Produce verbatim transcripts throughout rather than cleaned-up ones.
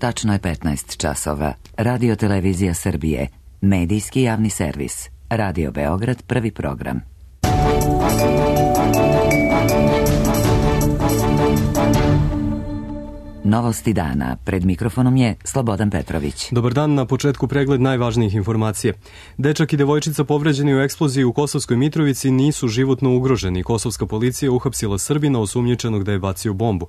Tačno je petnaest časova. Radio Televizija Srbije. Medijski javni servis. Radio Beograd, prvi program. Novosti dana. Pred mikrofonom je Slobodan Petrović. Dobar dan, na početku pregled najvažnijih informacija. Dečak i devojčica povređeni u eksploziji u Kosovskoj Mitrovici nisu životno ugroženi. Kosovska policija uhapsila Srbina osumnjičenog da je bacio bombu.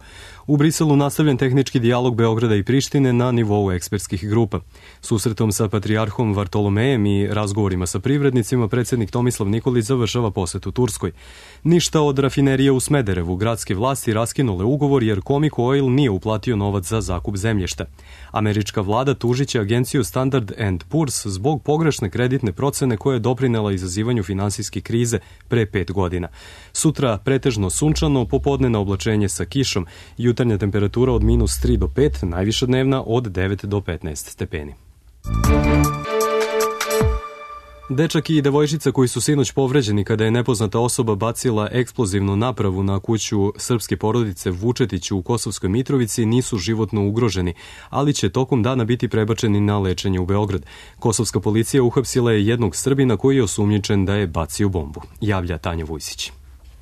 U Briselu nastavljen tehnički dijalog Beograda i Prištine na nivou ekspertskih grupa. Susretom sa patrijarhom Vartolomejem i razgovorima sa privrednicima, predsjednik Tomislav Nikolić završava posetu Turskoj. Ništa od rafinerije u Smederevu. Gradske vlasti raskinule ugovor jer Comic Oil nije uplatio novac za zakup zemljišta. Američka vlada tužiće agenciju Standard and Poor's zbog pogrešne kreditne procene koja je doprinela izazivanju finansijske krize pre pet godina. Sutra pretežno sunčano, popodnevno oblačenje sa kišom, jutarnja temperatura od minus tri do pet, najviša dnevna od devet do petnaest stepeni. Dečak i devojčica koji su sinoć povređeni kada je nepoznata osoba bacila eksplozivnu napravu na kuću srpske porodice Vučetić u Kosovskoj Mitrovici nisu životno ugroženi, ali će tokom dana biti prebačeni na lečenje u Beograd. Kosovska policija uhapsila je jednog Srbina koji je osumnjičen da je bacio bombu, javlja Tanja Vujsić.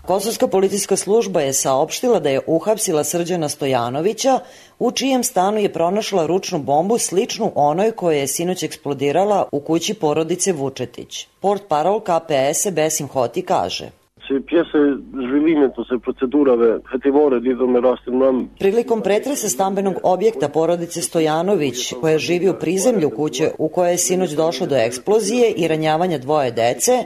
Kosovska policijska služba je saopštila da je uhapsila Srđana Stojanovića, u čijem stanu je pronašla ručnu bombu sličnu onoj koja je sinoć eksplodirala u kući porodice Vučetić. Portparol K P S Besim Hoti kaže: Prilikom pretresa stambenog objekta porodice Stojanović, koja živi u prizemlju kuće u kojoj je sinoć došlo do eksplozije i ranjavanja dvoje dece,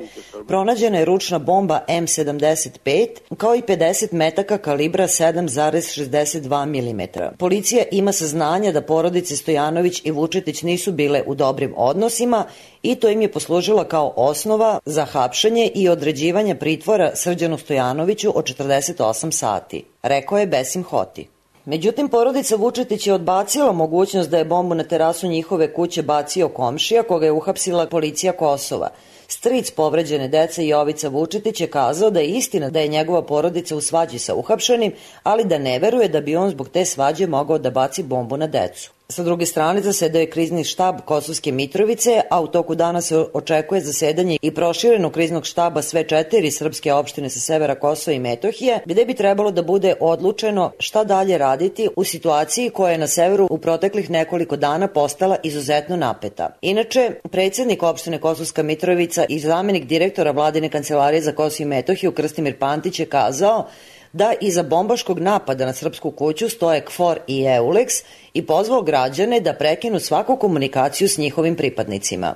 pronađena je ručna bomba M sedamdeset pet, kao i pedeset metaka kalibra sedam zarez šezdeset dva milimetra. Policija ima saznanja da porodice Stojanović i Vučetić nisu bile u dobrim odnosima i to im je poslužila kao osnova za hapšenje i određivanje pritvora Srđanu Stojanoviću od četrdeset osam sati, rekao je Besim Hoti. Međutim, porodica Vučetić je odbacila mogućnost da je bombu na terasu njihove kuće bacio komšija koga je uhapsila policija Kosova. Stric povređene dece Jovica Vučetić je kazao da je istina da je njegova porodica u svađi sa uhapšenim, ali da ne veruje da bi on zbog te svađe mogao da baci bombu na decu. Sa druge strane, zasedao je krizni štab Kosovske Mitrovice, a u toku dana se očekuje zasedanje i proširenog kriznog štaba sve četiri srpske opštine sa severa Kosova i Metohije, gde bi trebalo da bude odlučeno šta dalje raditi u situaciji koja je na severu u proteklih nekoliko dana postala izuzetno napeta. Inače, predsjednik opštine Kosovska Mitrovica i zamenik direktora Vladine kancelarije za Kosovo i Metohiju Krstimir Pantić je kazao da iza bombaškog napada na srpsku kuću stoje KFOR i EULEX i pozvao građane da prekinu svaku komunikaciju s njihovim pripadnicima.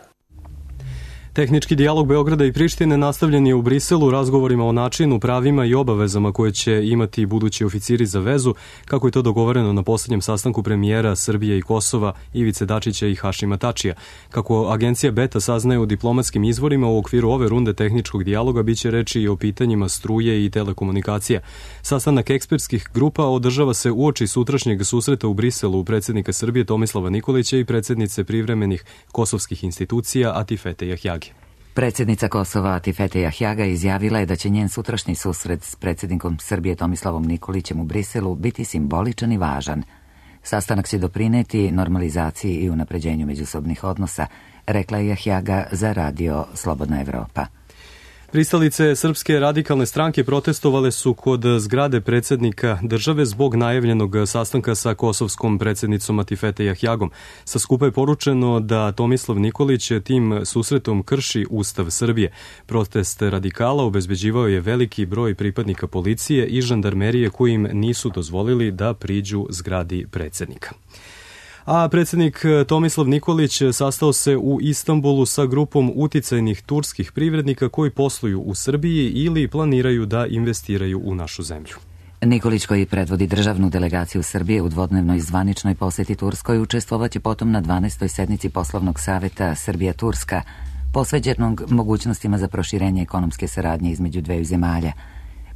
Tehnički dijalog Beograda i Prištine nastavljen je u Briselu razgovorima o načinu, pravima i obavezama koje će imati budući oficiri za vezu, kako je to dogovoreno na poslednjem sastanku premijera Srbije i Kosova Ivice Dačića i Hašima Tačija. Kako agencija Beta saznaje u diplomatskim izvorima, u okviru ove runde tehničkog dijaloga biće reči i o pitanjima struje i telekomunikacija. Sastanak ekspertskih grupa održava se uoči sutrašnjeg susreta u Briselu predsjednika Srbije Tomislava Nikolića i predsjednice privremenih kosovskih institucija Atifete Jahjage. Predsjednica Kosova Atifete Jahjaga izjavila je da će njen sutrašnji susret s predsjednikom Srbije Tomislavom Nikolićem u Briselu biti simboličan i važan. Sastanak će doprineti normalizaciji i unapređenju međusobnih odnosa, rekla je Jahjaga za radio Slobodna Evropa. Pristalice Srpske radikalne stranke protestovale su kod zgrade predsjednika države zbog najavljenog sastanka sa kosovskom predsjednicom Atifete Jahjagom. Sa skupa je poručeno da Tomislav Nikolić tim susretom krši Ustav Srbije. Protest radikala obezbeđivao je veliki broj pripadnika policije i žandarmerije koji im nisu dozvolili da priđu zgradi predsjednika. A predsjednik Tomislav Nikolić sastao se u Istanbulu sa grupom uticajnih turskih privrednika koji posluju u Srbiji ili planiraju da investiraju u našu zemlju. Nikolić, koji predvodi državnu delegaciju Srbije u dvodnevnoj zvaničnoj poseti Turskoj, učestvovaće potom na dvanaestoj sednici poslovnog saveta Srbija-Turska, posveđenog mogućnostima za proširenje ekonomske saradnje između dveju zemalja.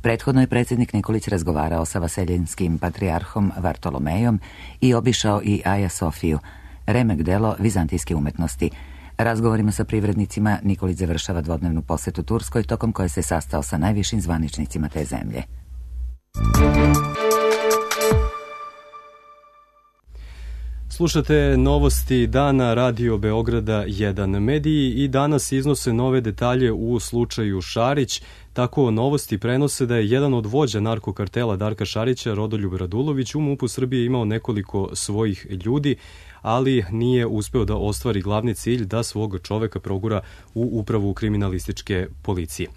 Prethodno je predsjednik Nikolić razgovarao sa vaseljinskim patrijarhom Vartolomejom i obišao i Aja Sofiju, remek delo vizantijske umetnosti. Razgovorima sa privrednicima Nikolić završava dvodnevnu posetu Turskoj, tokom koje se sastao sa najvišim zvaničnicima te zemlje. Slušate novosti dana Radio Beograda jedan. Mediji i danas iznose nove detalje u slučaju Šarić. Tako novosti prenose da je jedan od vođa narkokartela Darka Šarića, Rodoljub Radulović, u MUP-u Srbije imao nekoliko svojih ljudi, ali nije uspeo da ostvari glavni cilj da svog čoveka progura u upravu kriminalističke policije.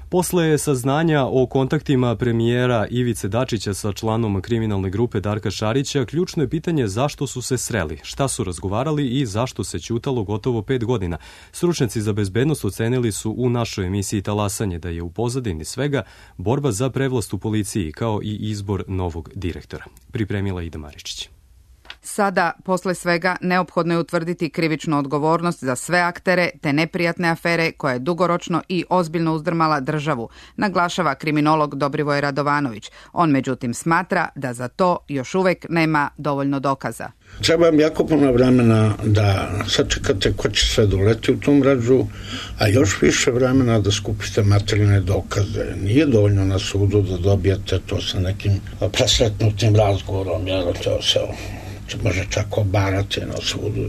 Posle saznanja o kontaktima premijera Ivice Dačića sa članom kriminalne grupe Darka Šarića, ključno je pitanje zašto su se sreli, šta su razgovarali i zašto se ćutalo gotovo pet godina. Stručnjaci za bezbednost ocenili su u našoj emisiji Talasanje da je u pozadini svega borba za prevlast u policiji kao i izbor novog direktora. Pripremila Ida Maričić. Sada, posle svega, neophodno je utvrditi krivičnu odgovornost za sve aktere te neprijatne afere koja je dugoročno i ozbiljno uzdrmala državu, naglašava kriminolog Dobrivoj Radovanović. On međutim smatra da za to još uvek nema dovoljno dokaza. Treba vam jako puno vremena da sačekate ko će sve doleti u tom mrežu, a još više vremena da skupite materijalne dokaze. Nije dovoljno na sudu da dobijete to sa nekim presretnutim razgovorom, jer to se može čak obarati na sudu.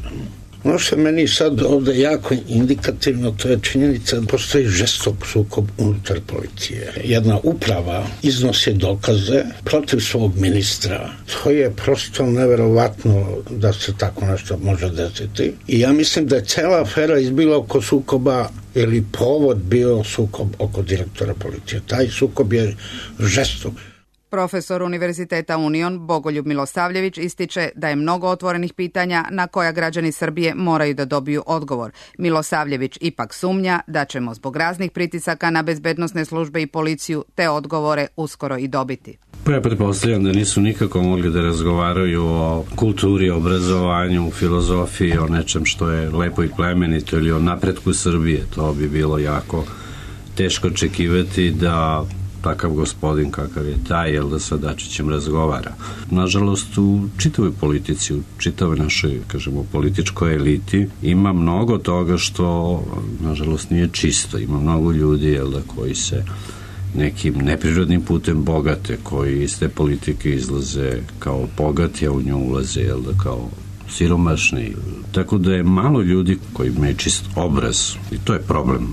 Ono što je meni sad ovde jako indikativno, to je činjenica da postoji žestok sukob unutar policije. Jedna uprava iznosi dokaze protiv svog ministra. To je prosto neverovatno da se tako nešto može desiti. I ja mislim da je cela afera izbila oko sukoba ili povod bio sukob oko direktora policije. Taj sukob je žestok. Profesor Univerziteta Union Bogoljub Milosavljević ističe da je mnogo otvorenih pitanja na koja građani Srbije moraju da dobiju odgovor. Milosavljević ipak sumnja da ćemo zbog raznih pritisaka na bezbednosne službe i policiju te odgovore uskoro i dobiti. Pa ja pretpostavljam da nisu nikako mogli da razgovaraju o kulturi, obrazovanju, filozofiji, o nečem što je lepo i plemenito ili o napretku Srbije. To bi bilo jako teško očekivati da takav gospodin kakav je taj, jel da sa Dačićem razgovara. Nažalost, u čitavoj politici, u čitavoj našoj, kažemo, političkoj eliti ima mnogo toga što, nažalost, nije čisto. Ima mnogo ljudi, jel da, koji se nekim neprirodnim putem bogate, koji iz te politike izlaze kao bogati, a u nju ulaze, jel da, kao siromašni. Tako da je malo ljudi koji imaju čist obraz i to je problem.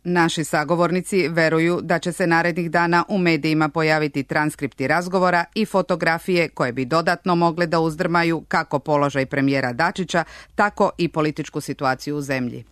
Naši sagovornici veruju da će se narednih dana u medijima pojaviti transkripti razgovora i fotografije koje bi dodatno mogle da uzdrmaju kako položaj premijera Dačića, tako i političku situaciju u zemlji.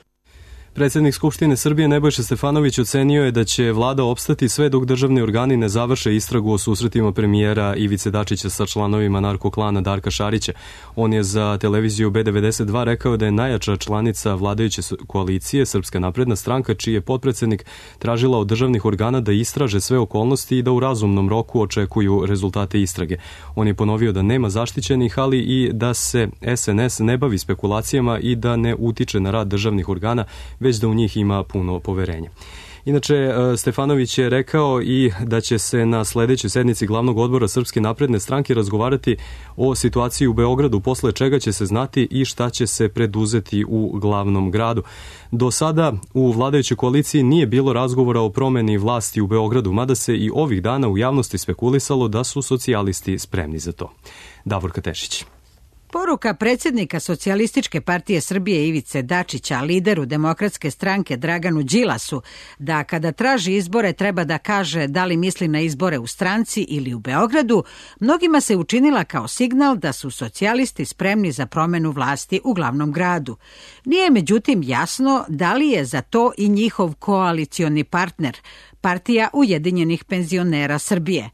Predsjednik Skupštine Srbije Nebojša Stefanović ocenio je da će vlada opstati sve dok državni organi ne završe istragu o susretima premijera Ivice Dačića sa članovima narkoklana Darka Šarića. On je za televiziju B devedeset dva rekao da je najjača članica vladajuće koalicije Srpska napredna stranka, čiji je potpredsednik tražila od državnih organa da istraže sve okolnosti i da u razumnom roku očekuju rezultate istrage. On je ponovio da nema zaštićenih, ali i da se S N S ne bavi spekulacijama i da ne utiče na rad državnih organa, već da u njih ima puno poverenja. Inače, Stefanović je rekao i da će se na sledećoj sednici glavnog odbora Srpske napredne stranke razgovarati o situaciji u Beogradu, posle čega će se znati i šta će se preduzeti u glavnom gradu. Do sada u vladajućoj koaliciji nije bilo razgovora o promeni vlasti u Beogradu, mada se i ovih dana u javnosti spekulisalo da su socijalisti spremni za to. Davorka Tešić. Poruka predsjednika Socijalističke partije Srbije Ivice Dačića, lideru Demokratske stranke Draganu Đilasu, da kada traži izbore treba da kaže da li misli na izbore u stranci ili u Beogradu, mnogima se učinila kao signal da su socijalisti spremni za promenu vlasti u glavnom gradu. Nije međutim jasno da li je za to i njihov koalicioni partner, Partija Ujedinjenih penzionera Srbije.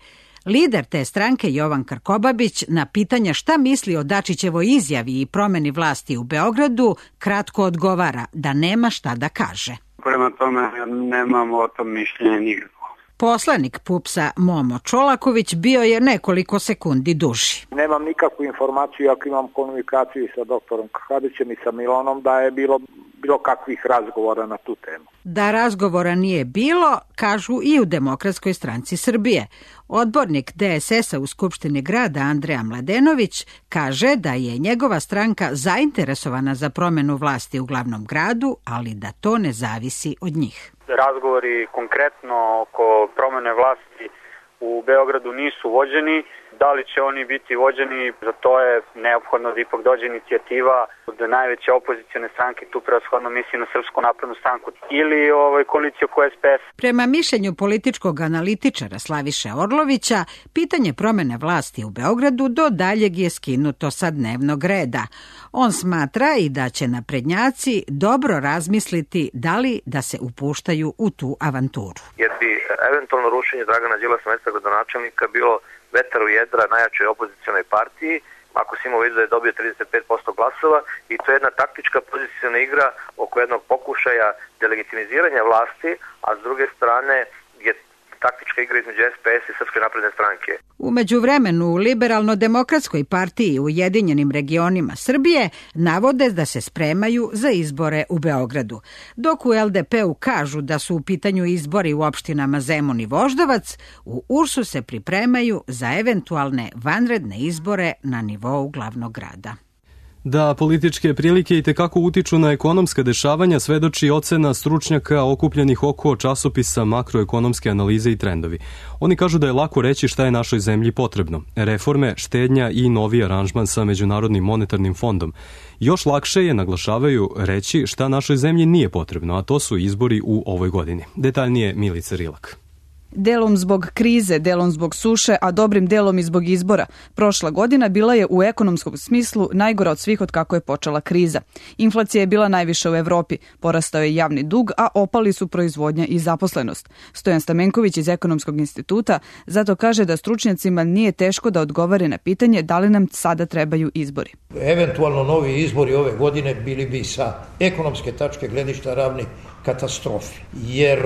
Lider te stranke Jovan Krkobabić na pitanje šta misli o Dačićevoj izjavi i promeni vlasti u Beogradu kratko odgovara da nema šta da kaže. Prema tome nemamo o tom mišljenja nikako. Poslanik PUPS-a Momo Čolaković bio je nekoliko sekundi duži. Nemam nikakvu informaciju, ako imam komunikaciju sa doktorom Krkobabićem i sa Milonom, da je bilo bilo kakvih razgovora na tu temu. Da razgovora nije bilo, kažu i u Demokratskoj stranci Srbije. Odbornik D S S-a u Skupštini grada Andreja Mladenović kaže da je njegova stranka zainteresovana za promenu vlasti u glavnom gradu, ali da to ne zavisi od njih. Razgovori konkretno oko promene vlasti u Beogradu nisu vođeni. Da li će oni biti vođeni, za to je neophodno da ipak dođe inicijativa od najveće opozicione stranke, tu prevashodno misli na Srpsku naprednu stranku ili ovaj, koaliciju oko es pe es. Prema mišljenju političkog analitičara Slaviše Orlovića, pitanje promene vlasti u Beogradu do daljeg je skinuto sa dnevnog reda. On smatra i da će naprednjaci dobro razmisliti da li da se upuštaju u tu avanturu. Jer bi eventualno rušenje Dragana Đilasa mesta gradonačelnika bilo vetar u jedra najjačoj opozicionoj partiji, ako se ima u vidu da je dobio trideset pet posto glasova, i to je jedna taktička poziciona igra oko jednog pokušaja delegitimiziranja vlasti, a s druge strane je taktička igra između es pe es i Srpske napredne stranke. U međuvremenu u Liberalno-demokratskoj partiji u Ujedinjenim regionima Srbije navode da se spremaju za izbore u Beogradu. Dok u el de pe-u kažu da su u pitanju izbori u opštinama Zemun i Voždovac, u u er es-u se pripremaju za eventualne vanredne izbore na nivou glavnog grada. Da političke prilike i tekako utiču na ekonomska dešavanja svedoči ocena stručnjaka okupljenih oko časopisa Makroekonomske analize i trendovi. Oni kažu da je lako reći šta je našoj zemlji potrebno. Reforme, štednja i novi aranžman sa Međunarodnim monetarnim fondom. Još lakše je, naglašavaju, reći šta našoj zemlji nije potrebno, a to su izbori u ovoj godini. Detaljnije Milica Rilak. Delom zbog krize, delom zbog suše, a dobrim delom i zbog izbora. Prošla godina bila je u ekonomskom smislu najgora od svih od kako je počela kriza. Inflacija je bila najviša u Evropi, porastao je javni dug, a opali su proizvodnja i zaposlenost. Stojan Stamenković iz Ekonomskog instituta zato kaže da stručnjacima nije teško da odgovore na pitanje da li nam sada trebaju izbori. Eventualno novi izbori ove godine bili bi sa ekonomske tačke gledišta ravni katastrofi, jer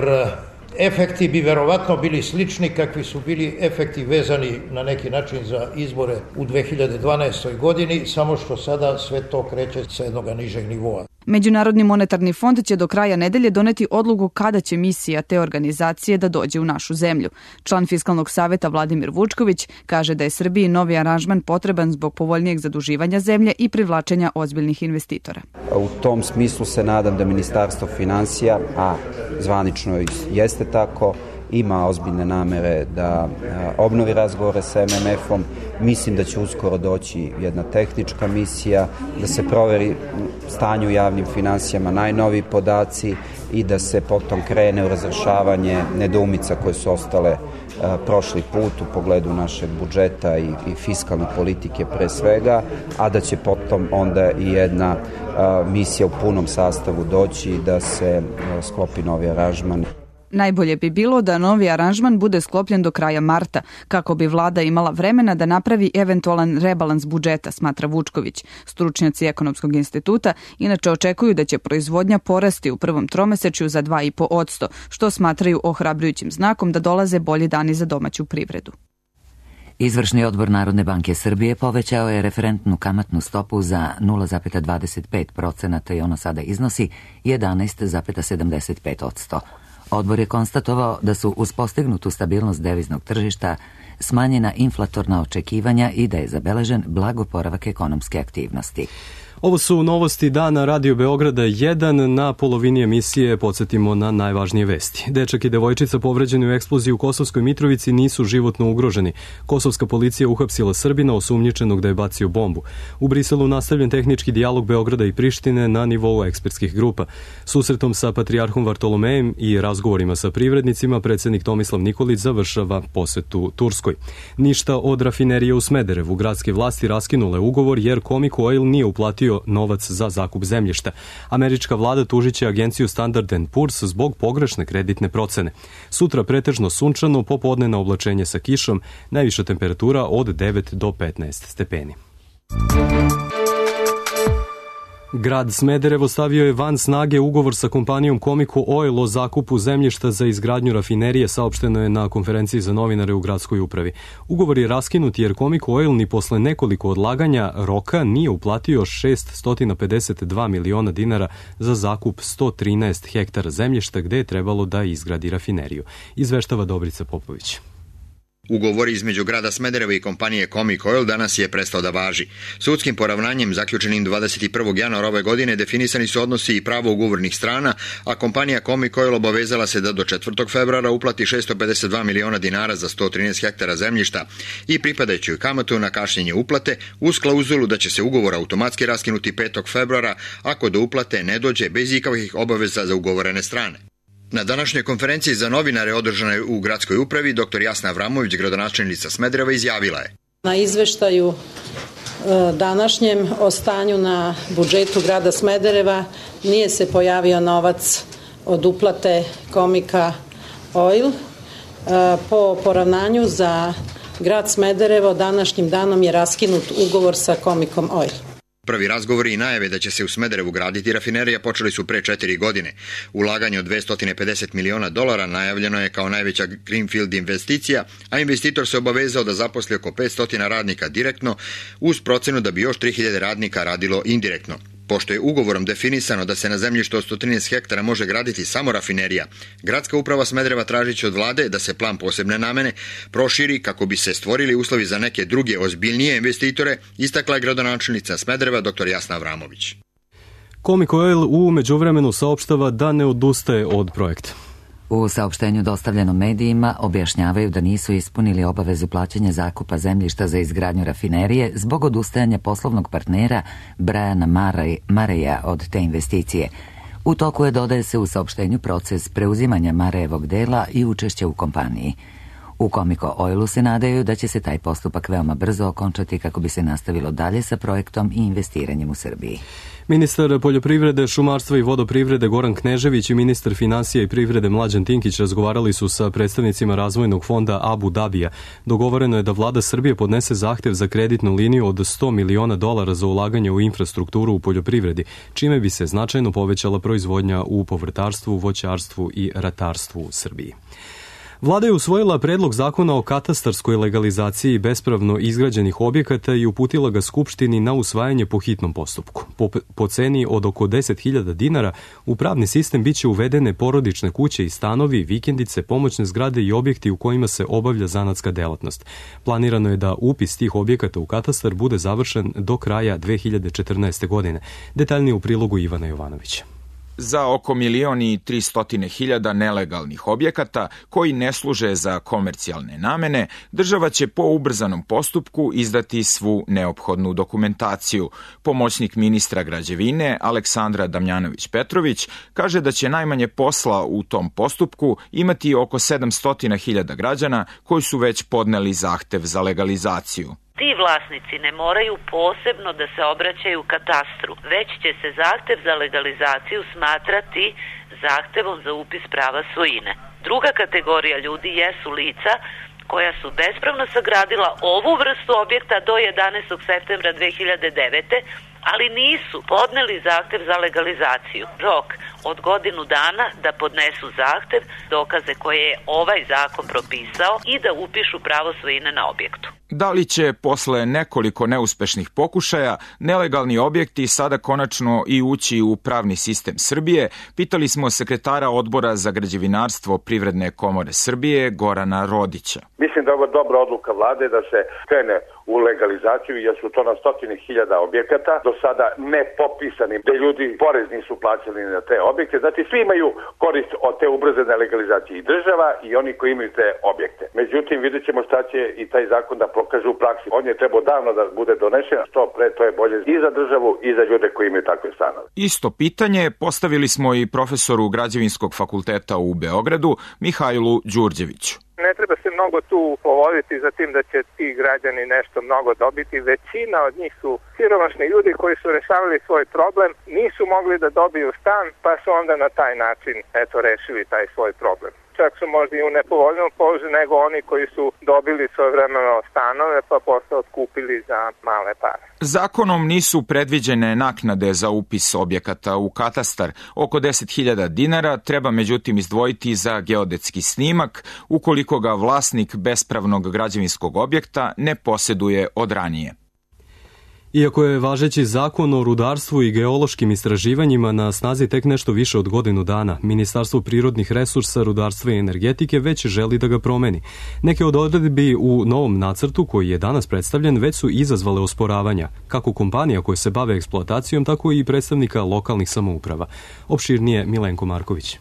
efekti bi verovatno bili slični kakvi su bili efekti vezani na neki način za izbore u dve hiljade dvanaestoj godini, samo što sada sve to kreće sa jednog nižeg nivoa. Međunarodni monetarni fond će do kraja nedelje doneti odluku kada će misija te organizacije da dođe u našu zemlju. Član Fiskalnog saveta Vladimir Vučković kaže da je Srbiji novi aranžman potreban zbog povoljnijeg zaduživanja zemlje i privlačenja ozbiljnih investitora. U tom smislu se nadam da Ministarstvo finansija, a zvanično jeste tako, ima ozbiljne namere da obnovi razgovore sa em em efom. Mislim da će uskoro doći jedna tehnička misija, da se proveri stanje u javnim finansijama, najnoviji podaci i da se potom krene u razrešavanje nedoumica koje su ostale prošli put u pogledu našeg budžeta i, i fiskalne politike pre svega, a da će potom onda i jedna misija u punom sastavu doći da se sklopi novi aranžman. Najbolje bi bilo da novi aranžman bude sklopljen do kraja marta, kako bi vlada imala vremena da napravi eventualan rebalans budžeta, smatra Vučković. Stručnjaci Ekonomskog instituta inače očekuju da će proizvodnja porasti u prvom tromesečju za dva i po posto, što smatraju ohrabrujućim znakom da dolaze bolji dani za domaću privredu. Izvršni odbor Narodne banke Srbije povećao je referentnu kamatnu stopu za nula zarez dvadeset pet procenata i ona sada iznosi jedanaest zarez sedamdeset pet posto. Odbor je konstatovao da su uz postignutu stabilnost deviznog tržišta smanjena inflatorna očekivanja i da je zabeležen blag oporavak ekonomske aktivnosti. Ovo su novosti dana Radio Beograda jedan. Na polovini emisije podsjetimo na najvažnije vesti. Dečak i devojčica povređeni u eksploziji u Kosovskoj Mitrovici nisu životno ugroženi. Kosovska policija uhapsila Srbina osumnjičenog da je bacio bombu. U Briselu nastavljen tehnički dijalog Beograda i Prištine na nivou ekspertskih grupa. Susretom sa patrijarhom Vartolomejem i razgovorima sa privrednicima predsjednik Tomislav Nikolić završava posetu Turskoj. Ništa od rafinerije u Smederevu. Gradske vlasti raskinule ugovor jer Comic Oil nije uplatio novac za zakup zemljišta. Američka vlada tužiće agenciju Standard and Poor's zbog pogrešne kreditne procene. Sutra pretežno sunčano, popodnevno oblačenje sa kišom, najviša temperatura od devet do petnaest stepeni. Grad Smederevo stavio je van snage ugovor sa kompanijom Comic Oil o zakupu zemljišta za izgradnju rafinerije, saopšteno je na konferenciji za novinare u gradskoj upravi. Ugovor je raskinut jer Comic Oil ni posle nekoliko odlaganja roka nije uplatio šessto pedeset dva miliona dinara za zakup sto trinaest hektara zemljišta gde je trebalo da izgradi rafineriju. Izveštava Dobrica Popović. Ugovor između grada Smedereva i kompanije Comic Oil danas je prestao da važi. Sudskim poravnanjem zaključenim dvadeset prvog januara ove godine definisani su odnosi i pravo ugovornih strana, a kompanija Comic Oil obavezala se da do četvrtog februara uplati šessto pedeset dva miliona dinara za sto trinaest hektara zemljišta i pripadajuću kamatu na kašnjenje uplate uz klauzulu da će se ugovor automatski raskinuti petog februara ako do uplate ne dođe bez ikakvih obaveza za ugovorene strane. Na današnjoj konferenciji za novinare održanoj u gradskoj upravi dr Jasna Avramović, gradonačelnica Smedereva, izjavila je: Na izveštaju današnjem o stanju na budžetu grada Smedereva nije se pojavio novac od uplate Comica Oil. Po poravnanju za grad Smederevo današnjim danom je raskinut ugovor sa Comicom Oil. Prvi razgovori i najave da će se u Smederevu graditi rafinerija počeli su pre četiri godine. Ulaganje od dvesta pedeset miliona dolara najavljeno je kao najveća greenfield investicija, a investitor se obavezao da zaposli oko petsto radnika direktno, uz procenu da bi još tri hiljade radnika radilo indirektno. Pošto je ugovorom definisano da se na zemljištu od sto trinaest hektara može graditi samo rafinerija, gradska uprava Smedereva tražiće od vlade da se plan posebne namene proširi kako bi se stvorili uslovi za neke druge ozbiljnije investitore, istakla je gradonačelnica Smedereva dr Jasna Avramović. Comic Oil u međuvremenu saopštava da ne odustaje od projekta. U saopštenju dostavljenom medijima objašnjavaju da nisu ispunili obavezu plaćanja zakupa zemljišta za izgradnju rafinerije zbog odustajanja poslovnog partnera Briana Mareja od te investicije. U toku je, dodaje se u saopštenju, proces preuzimanja Marejevog dela i učešća u kompaniji. U Comic Oilu se nadaju da će se taj postupak veoma brzo okončati kako bi se nastavilo dalje sa projektom i investiranjem u Srbiji. Ministar poljoprivrede, šumarstva i vodoprivrede Goran Knežević i ministar finansija i privrede Mlađan Tinkić razgovarali su sa predstavnicima razvojnog fonda Abu Dabija. Dogovoreno je da vlada Srbije podnese zahtev za kreditnu liniju od sto miliona dolara za ulaganje u infrastrukturu u poljoprivredi, čime bi se značajno povećala proizvodnja u povrtarstvu, voćarstvu i ratarstvu u Srbiji. Vlada je usvojila predlog zakona o katastarskoj legalizaciji bespravno izgrađenih objekata i uputila ga Skupštini na usvajanje po hitnom postupku. Po, po ceni od oko deset hiljada dinara u pravni sistem biće uvedene porodične kuće i stanovi, vikendice, pomoćne zgrade i objekti u kojima se obavlja zanatska delatnost. Planirano je da upis tih objekata u katastar bude završen do kraja dve hiljade četrnaeste. godine. Detaljnije u prilogu Ivana Jovanovića. Za oko milion i tristotine hiljada nelegalnih objekata koji ne služe za komercijalne namene, država će po ubrzanom postupku izdati svu neophodnu dokumentaciju. Pomoćnik ministra građevine Aleksandra Damjanović-Petrović kaže da će najmanje posla u tom postupku imati oko sedamsto hiljada građana koji su već podneli zahtev za legalizaciju. Ti vlasnici ne moraju posebno da se obraćaju katastru, već će se zahtev za legalizaciju smatrati zahtevom za upis prava svojine. Druga kategorija ljudi jesu lica koja su bespravno sagradila ovu vrstu objekta do jedanaestog septembra dve hiljade devete. ali nisu podneli zahtev za legalizaciju. Rok od godinu dana da podnesu zahtev, dokaze koje je ovaj zakon propisao i da upišu pravo svojine na objektu. Da li će posle nekoliko neuspešnih pokušaja nelegalni objekti sada konačno i ući u pravni sistem Srbije, pitali smo sekretara Odbora za građevinarstvo Privredne komore Srbije Gorana Rodića. Mislim da je ovo dobra odluka vlade da se krene u legalizaciju, jer su to na stotine hiljada objekata, do sada ne popisani, gde ljudi porez nisu plaćali na te objekte. Znači, svi imaju korist od te ubrzane legalizacije, i država i oni koji imaju te objekte. Međutim, vidjet ćemo šta će i taj zakon da pokaže u praksi. On je trebao davno da bude donešen, što pre to je bolje i za državu i za ljude koji imaju takve stanove. Isto pitanje postavili smo i profesoru Građevinskog fakulteta u Beogradu, Mihajlu Đurđeviću. Ne treba se mnogo tu povoditi za tim da će ti građani nešto mnogo dobiti. Većina od njih su siromašni ljudi koji su rešavali svoj problem, nisu mogli da dobiju stan, pa su onda na taj način eto rešili taj svoj problem. Čak su možda i u nepovoljnom položaju nego oni koji su dobili svojevremeno stanove pa posle otkupili za male pare. Zakonom nisu predviđene naknade za upis objekata u katastar. Oko deset hiljada dinara treba međutim izdvojiti za geodetski snimak ukoliko ga vlasnik bespravnog građevinskog objekta ne poseduje od ranije. Iako je važeći zakon o rudarstvu i geološkim istraživanjima na snazi tek nešto više od godinu dana, Ministarstvo prirodnih resursa, rudarstva i energetike već želi da ga promeni. Neke od odredbi u novom nacrtu koji je danas predstavljen već su izazvale osporavanja, kako kompanija koje se bave eksploatacijom, tako i predstavnika lokalnih samouprava. Opširnije Milenko Marković.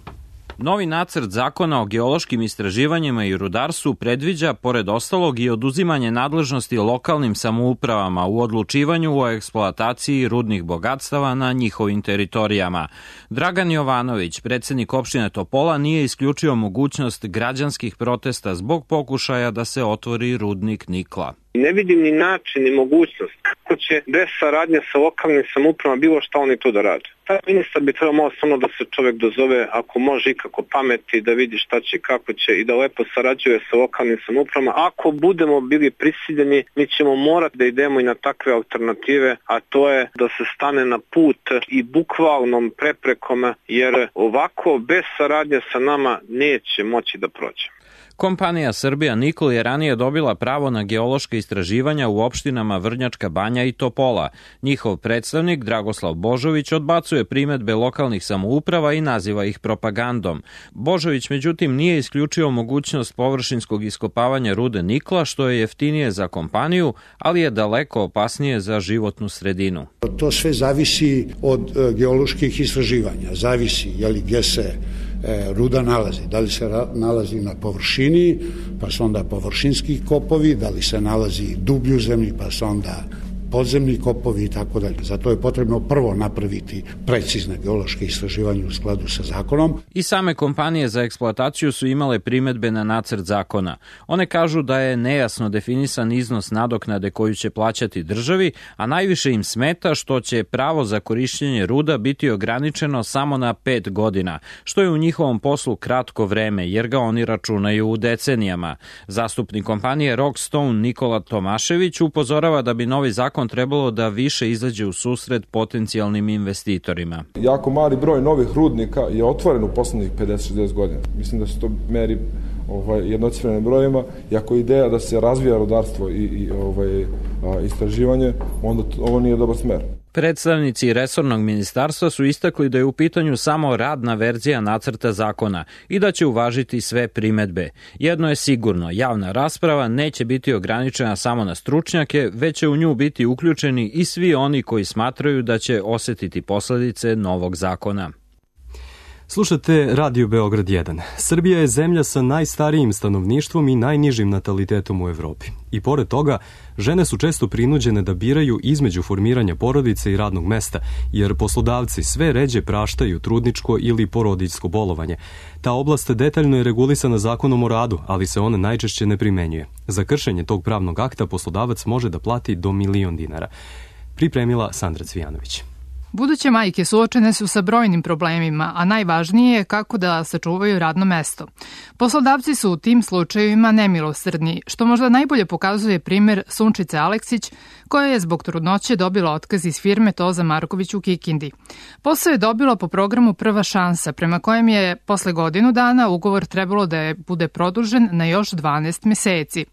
Novi nacrt zakona o geološkim istraživanjima i rudarstvu predviđa, pored ostalog, i oduzimanje nadležnosti lokalnim samoupravama u odlučivanju o eksploataciji rudnih bogatstava na njihovim teritorijama. Dragan Jovanović, predsednik opštine Topola, nije isključio mogućnost građanskih protesta zbog pokušaja da se otvori rudnik nikla. Ne vidim ni način, ni mogućnost kako će bez saradnje sa lokalnim samoupravama bilo šta oni to da rade. Taj ministar bi trebao malo samo da se čovjek dozove, ako može ikako pameti, da vidi šta će, kako će i da lepo sarađuje sa lokalnim samoupravama. Ako budemo bili prisiljeni, mi ćemo morati da idemo i na takve alternative, a to je da se stane na put i bukvalnom preprekom, jer ovako bez saradnje sa nama neće moći da prođe. Kompanija Srbija Nikl je ranije dobila pravo na geološka istraživanja u opštinama Vrnjačka Banja i Topola. Njihov predstavnik Dragoslav Božović odbacuje primedbe lokalnih samouprava i naziva ih propagandom. Božović međutim nije isključio mogućnost površinskog iskopavanja rude nikla, što je jeftinije za kompaniju, ali je daleko opasnije za životnu sredinu. To sve zavisi od geoloških istraživanja, zavisi je li gdje se ruda nalazi, da li se nalazi na površini, pa su onda površinski kopovi, da li se nalazi dublju zemlji, pa su onda podzemni kopovi i tako dalje. Zato je potrebno prvo napraviti precizne geološke istraživanje u skladu sa zakonom. I same kompanije za eksploataciju su imale primedbe na nacrt zakona. One kažu da je nejasno definisan iznos nadoknade koju će plaćati državi, a najviše im smeta što će pravo za korišćenje ruda biti ograničeno samo na pet godina, što je u njihovom poslu kratko vreme, jer ga oni računaju u decenijama. Zastupnik kompanije Rockstone Nikola Tomašević upozorava da bi novi zakon trebalo da više izađe u susret potencijalnim investitorima. Jako mali broj novih rudnika je otvoren u poslednjih pedeset do šezdeset godina. Mislim da se to meri ovaj, jednocifrenim brojima. I ako je ideja da se razvija rudarstvo i, i ovaj, a, istraživanje, onda to, ovo nije dobar smer. Predstavnici resornog ministarstva su istakli da je u pitanju samo radna verzija nacrta zakona i da će uvažiti sve primedbe. Jedno je sigurno, javna rasprava neće biti ograničena samo na stručnjake, već će u nju biti uključeni i svi oni koji smatraju da će osetiti posledice novog zakona. Slušate Radio Beograd jedan. Srbija je zemlja sa najstarijim stanovništvom i najnižim natalitetom u Evropi. I pored toga, žene su često prinuđene da biraju između formiranja porodice i radnog mesta, jer poslodavci sve ređe praštaju trudničko ili porodiljsko bolovanje. Ta oblast detaljno je regulisana zakonom o radu, ali se ona najčešće ne primenjuje. Za kršenje tog pravnog akta poslodavac može da plati do milion dinara. Pripremila Sandra Cvijanović. Buduće majke suočene su sa brojnim problemima, a najvažnije je kako da sačuvaju radno mesto. Poslodavci su u tim slučajevima nemilosrdni, što možda najbolje pokazuje primer Sunčice Aleksić, koja je zbog trudnoće dobila otkaz iz firme Toza Marković u Kikindi. Posao je dobila po programu Prva šansa, prema kojem je posle godinu dana ugovor trebalo da je bude produžen na još dvanaest meseci.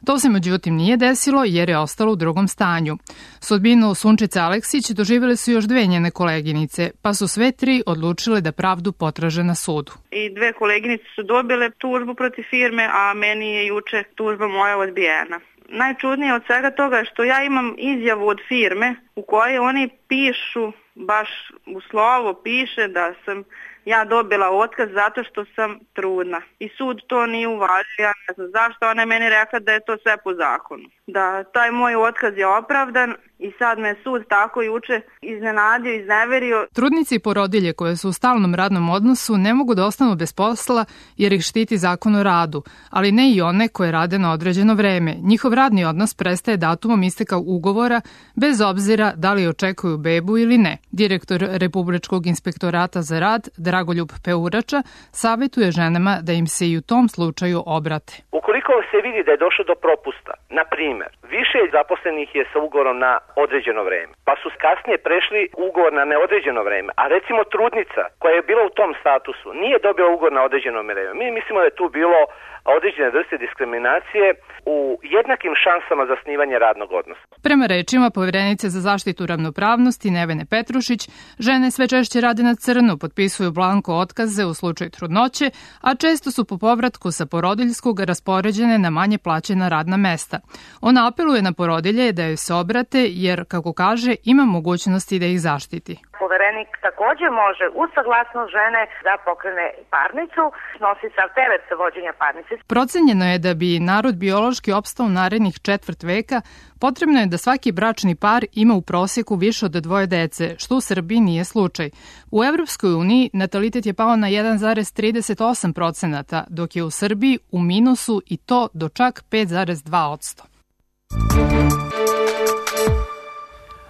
To se međutim nije desilo jer je ostalo u drugom stanju. Sudbinu Sunčice Aleksić doživjeli su još dve njene koleginice, pa su sve tri odlučile da pravdu potraže na sudu. I dve koleginice su dobile tužbu protiv firme, a meni je juče tužba moja odbijena. Najčudnije od svega toga je što ja imam izjavu od firme u kojoj oni pišu, baš u slovo piše da sam ja dobila otkaz zato što sam trudna. I sud to nije uvažio, ja ne znam zašto, ona je meni rekla da je to sve po zakonu. Da taj moj otkaz je opravdan i sad me sud tako juče iznenadio, izneverio. Trudnici i porodilje koje su u stalnom radnom odnosu ne mogu da ostanu bez posla jer ih štiti zakon o radu, ali ne i one koje rade na određeno vreme. Njihov radni odnos prestaje datumom isteka ugovora bez obzira da li očekuju bebu ili ne. Direktor Republičkog inspektorata za rad Dragoljub Peurača savjetuje ženama da im se i u tom slučaju obrate. Ukoliko se vidi da je došlo do propusta, na primjer, više zaposlenih je sa ugovorom na određeno vreme, pa su kasnije prešli ugovor na neodređeno vreme, a recimo trudnica koja je bila u tom statusu nije dobila ugovor na određeno vreme. Mi mislimo da je tu bilo određene vrste diskriminacije u jednakim šansama za zasnivanje radnog odnosa. Prema rečima Poverenice za zaštitu ravnopravnosti Nevene Petrušić, žene sve češće rade na crno, potpisuju blanko otkaze u slučaju trudnoće, a često su po povratku sa porodiljskog raspoređene na manje plaćena radna mesta. Ona apeluje na porodilje da joj se obrate jer, kako kaže, ima mogućnosti da ih zaštiti. Poverenik takođe može uz saglasnost žene da pokrene parnicu, snosi sav teret vođenja parnice. Procenjeno je da bi narod biološki opstao narednih četvrt veka, potrebno je da svaki bračni par ima u prosjeku više od dvoje dece, što u Srbiji nije slučaj. U Evropskoj uniji natalitet je pao na jedan zarez trideset osam procenata, dok je u Srbiji u minusu i to do čak pet zarez dva posto.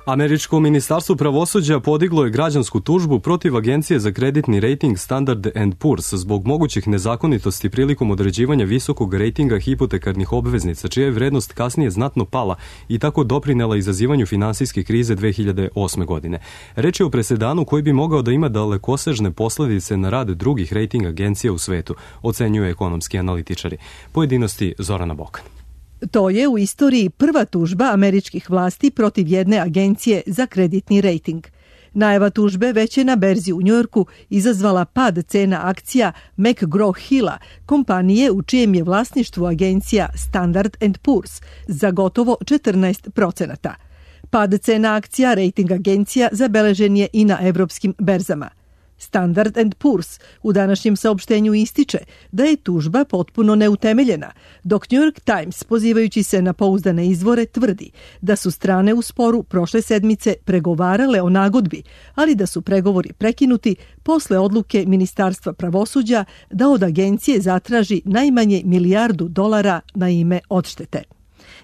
Američko ministarstvo pravosuđa podiglo je građansku tužbu protiv Agencije za kreditni rejting Standard and Poor's zbog mogućih nezakonitosti prilikom određivanja visokog rejtinga hipotekarnih obveznica, čija je vrednost kasnije znatno pala i tako doprinela izazivanju finansijske krize dve hiljade osme. godine. Reč je o presedanu koji bi mogao da ima dalekosežne posledice na rad drugih rejting agencija u svetu, ocenjuju ekonomski analitičari. Pojedinosti Zorana Bokan. To je u istoriji prva tužba američkih vlasti protiv jedne agencije za kreditni rejting. Najava tužbe već je na berzi u Njujorku izazvala pad cena akcija McGraw-Hilla, kompanije u čijem je vlasništvu agencija Standard and Poor's, za gotovo četrnaest procenata. Pad cena akcija rejting agencija zabeležen je i na evropskim berzama. Standard and Poor's u današnjem saopštenju ističe da je tužba potpuno neutemeljena, dok New York Times, pozivajući se na pouzdane izvore, tvrdi da su strane u sporu prošle sedmice pregovarale o nagodbi, ali da su pregovori prekinuti posle odluke Ministarstva pravosuđa da od agencije zatraži najmanje milijardu dolara na ime odštete.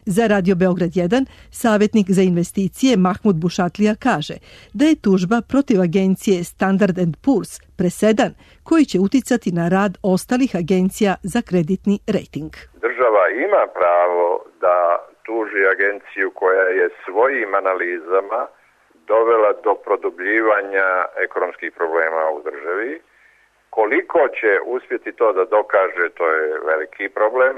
Za Radio Beograd jedan, savjetnik za investicije Mahmud Bušatlija kaže da je tužba protiv agencije Standard and Poor's presedan koji će uticati na rad ostalih agencija za kreditni rejting. Država ima pravo da tuži agenciju koja je svojim analizama dovela do produbljivanja ekonomskih problema u državi. Koliko će uspjeti to da dokaže, to je veliki problem.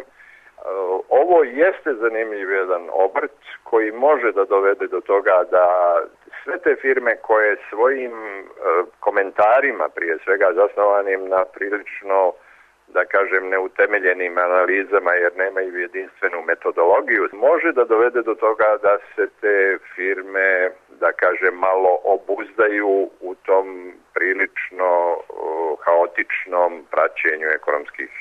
Ovo jeste zanimljiv jedan obrt koji može da dovede do toga da sve te firme koje svojim komentarima, prije svega zasnovanim na prilično, da kažem, neutemeljenim analizama jer nemaju jedinstvenu metodologiju, može da dovede do toga da se te firme, da kažem, malo obuzdaju u tom prilično haotičnom praćenju ekonomskih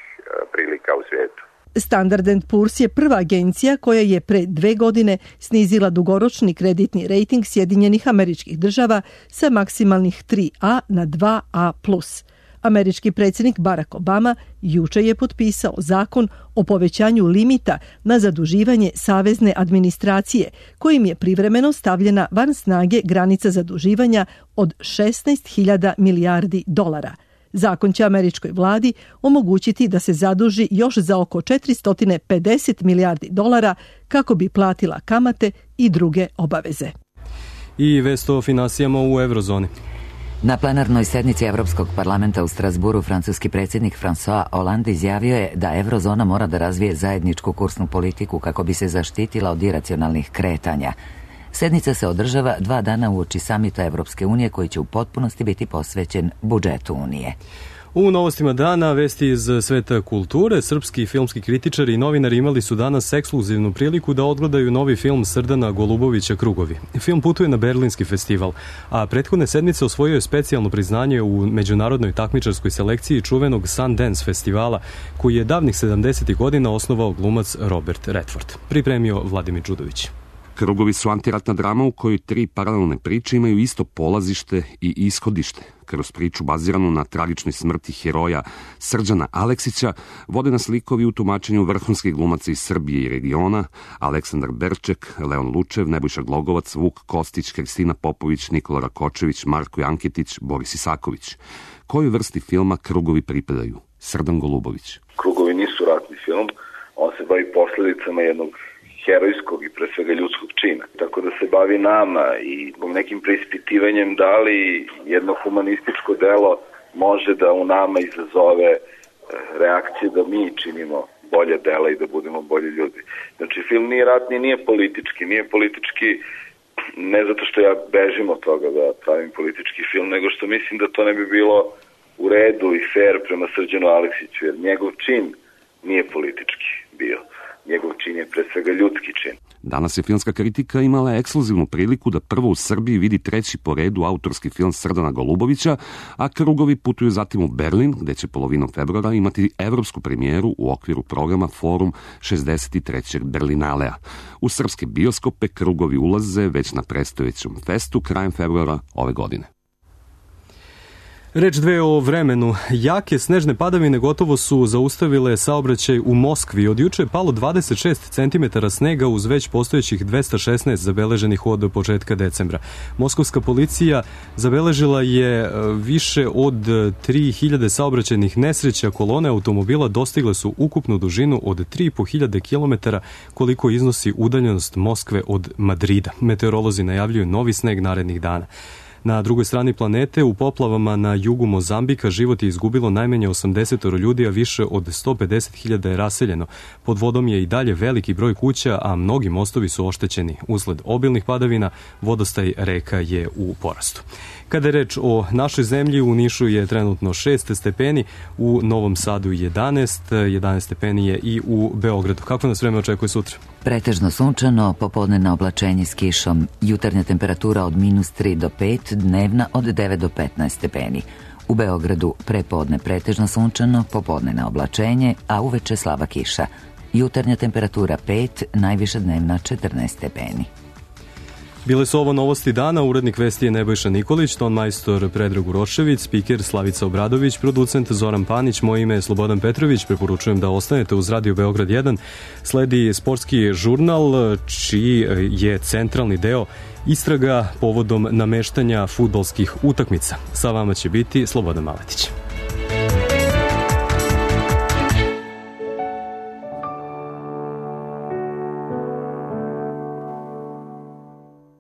prilika u svijetu. Standard and Poor's je prva agencija koja je pre dve godine snizila dugoročni kreditni rejting Sjedinjenih Američkih Država sa maksimalnih tri A na dva A plus. Američki predsjednik Barack Obama juče je potpisao zakon o povećanju limita na zaduživanje savezne administracije, kojim je privremeno stavljena van snage granica zaduživanja od šesnaest hiljada milijardi dolara. Zakon će američkoj vladi omogućiti da se zaduži još za oko četiristo pedeset milijardi dolara kako bi platila kamate i druge obaveze. I vest o finansijama u eurozoni. Na plenarnoj sednici Evropskog parlamenta u Strasburu francuski predsjednik François Hollande izjavio je da eurozona mora da razvije zajedničku kursnu politiku kako bi se zaštitila od iracionalnih kretanja. Sednica se održava dva dana uoči samita Evropske unije koji će u potpunosti biti posvećen budžetu Unije. U novostima dana vesti iz sveta kulture, srpski filmski kritičari i novinari imali su danas ekskluzivnu priliku da odgledaju novi film Srdana Golubovića Krugovi. Film putuje na Berlinski festival, a prethodne sedmice osvojio je specijalno priznanje u međunarodnoj takmičarskoj selekciji čuvenog Sundance festivala, koji je davnih sedamdesetih godina osnovao glumac Robert Redford. Pripremio Vladimir Đudović. Krugovi su antiratna drama u kojoj tri paralelne priče imaju isto polazište i ishodište. Kroz priču baziranu na tragičnoj smrti heroja Srđana Aleksića vode nas likovi u tumačenju vrhunskih glumaca iz Srbije i regiona: Aleksandar Berček, Leon Lučev, Nebojša Glogovac, Vuk Kostić, Kristina Popović, Nikola Rakočević, Marko Janketić, Boris Isaković. Kojoj vrsti filma Krugovi pripadaju? Srdan Golubović. Krugovi nisu ratni film, on se bavi posljedicama jednog herojskog i pre svega ljudskog čina. Tako da se bavi nama i nekim preispitivanjem da li jedno humanističko delo može da u nama izazove reakcije da mi činimo bolje dela i da budemo bolji ljudi. Znači, film nije ratni, nije politički, nije politički ne zato što ja bežim od toga da pravim politički film, nego što mislim da to ne bi bilo u redu i fair prema Srđanu Aleksiću, jer njegov čin nije politički bio. Njegov čin je pre svega ljudski čin. Danas je filmska kritika imala ekskluzivnu priliku da prvo u Srbiji vidi treći po redu autorski film Srdana Golubovića, a krugovi putuju zatim u Berlin, gde će polovinom februara imati evropsku premijeru u okviru programa Forum šezdeset trećeg Berlinalea. U srpske bioskope krugovi ulaze već na predstojećem festu krajem februara ove godine. Reč dve o vremenu. Jake snežne padavine gotovo su zaustavile saobraćaj u Moskvi. Od juče je palo dvadeset šest centimetara snega uz već postojećih dvesta šesnaest zabeleženih od početka decembra. Moskovska policija zabeležila je više od tri hiljade saobraćajnih nesreća. Kolone automobila dostigle su ukupnu dužinu od tri i po hiljade kilometara, koliko iznosi udaljenost Moskve od Madrida. Meteorolozi najavljuju novi sneg narednih dana. Na drugoj strani planete, u poplavama na jugu Mozambika, život je izgubilo najmanje osamdeset ljudi, a više od sto pedeset hiljada je raseljeno. Pod vodom je i dalje veliki broj kuća, a mnogi mostovi su oštećeni. Usled obilnih padavina, vodostaj reka je u porastu. Kada je reč o našoj zemlji, u Nišu je trenutno šest stepeni, u Novom Sadu jedanaest, jedanaest stepeni je i u Beogradu. Kako nas vreme očekuje sutra? Pretežno sunčano, popodne na oblačenje s kišom, jutarnja temperatura od minus tri do pet, dnevna od devet do petnaest stepeni. U Beogradu prepodne pretežno sunčano, popodne na oblačenje, a uveče slaba kiša. Jutarnja temperatura pet, najviša dnevna četrnaest stepeni. Bile su ovo novosti dana, urednik vesti je Nebojša Nikolić, ton majstor Predrag Urošević, spiker Slavica Obradović, producent Zoran Panić, moje ime je Slobodan Petrović, preporučujem da ostanete uz Radio Beograd jedan. Sledi sportski žurnal, čiji je centralni deo istraga povodom nameštanja fudbalskih utakmica. Sa vama će biti Slobodan Maletić.